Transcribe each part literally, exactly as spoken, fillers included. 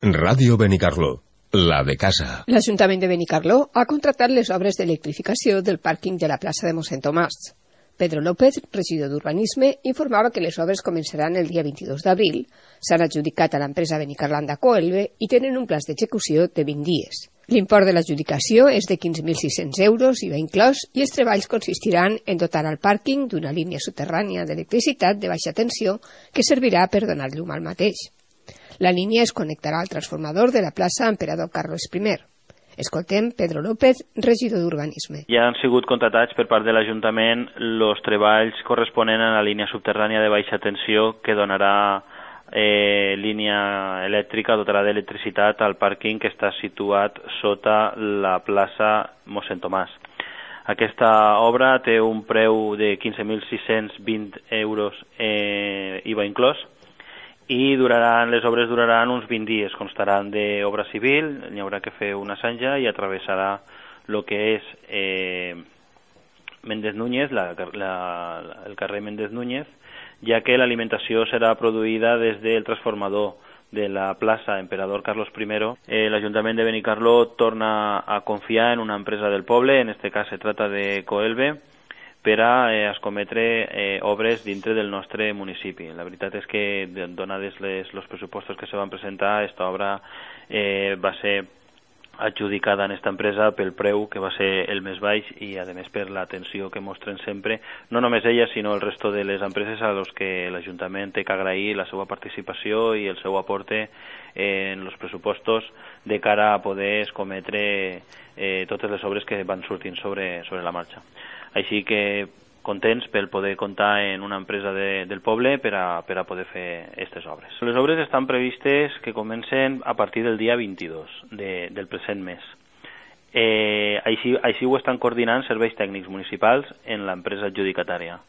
Ràdio Benicarló, la de casa. L'Ajuntament de Benicarló ha contractat les obres d'electrificació del pàrquing de la plaça de Mossèn Tomàs. Pedro López, regidor d'Urbanisme, informava que les obres començaran el dia vint-i-dos d'abril, s'han adjudicat a l'empresa Benicarlanda Coelbe i tenen un pla d'execució de vint dies. L'import de l'adjudicació és de quinze mil sis-cents euros, I V A inclòs, i els treballs consistiran en dotar el pàrquing d'una línia subterrània d'electricitat de baixa tensió que servirà per donar llum al mateix. La línia es connectarà al transformador de la plaça Emperador Carlos primer. Escoltem Pedro López, regidor d'Urbanisme. Ja han sigut contratats per part de l'Ajuntament els treballs corresponents a la línia subterrània de baixa tensió que donarà eh, línia elèctrica, dotarà d'electricitat al pàrquing que està situat sota la plaça Mossèn Tomàs. Aquesta obra té un preu de quinze mil sis-cents vint euros eh, I V A inclòs, i duraran, les obres duraran uns vint dies, constaran d'obra civil, n'hi haurà que fer una zanja i atravessarà el que és eh, Méndez Núñez, la, la, el carrer Méndez Núñez, ja que l'alimentació serà produïda des del transformador de la plaça Emperador Carlos primer. Eh, L'Ajuntament de Benicarló torna a confiar en una empresa del poble, en este cas se trata de Coelbe, per a eh, escometre eh, obres dintre del nostre municipi. La veritat és que, donades els pressupostos que se van presentar, aquesta obra eh, va ser adjudicada en esta empresa pel preu que va ser el més baix i, a més, per l'atenció que mostren sempre, no només ella, sinó el resto de les empreses a los que l'Ajuntament té que agrair la seva participació i el seu aporte en els pressupostos de cara a poder escometre eh, totes les obres que van sortint sobre, sobre la marxa. Així que contents per poder comptar en una empresa de, del poble per a, per a poder fer aquestes obres. Les obres estan previstes que comencen a partir del dia vint-i-dos de, del present mes. Eh, així, així ho estan coordinant serveis tècnics municipals en l'empresa adjudicatària.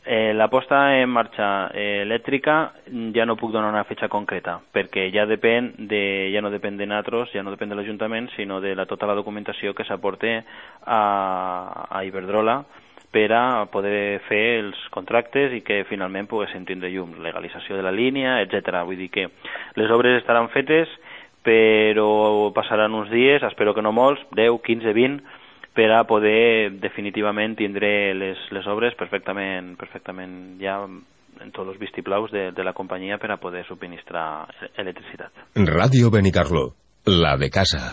Eh, la posta en marxa eh, elèctrica ja no puc donar una fetxa concreta perquè ja depèn de, ja no depèn de nosaltres, ja no depèn de l'Ajuntament, sinó de la, tota la documentació que s'aporte a, a Iberdrola per a poder fer els contractes i que finalment poguéssim tindre llum, legalització de la línia, etcètera. Vull dir que les obres estaran fetes, però passaran uns dies, espero que no molts, deu, quinze, vint, per a poder definitivament tindre les, les obres perfectament, perfectament ja en tots els vistiplaus de, de la companyia per a poder subministrar electricitat. Ràdio Benicarló, la de casa.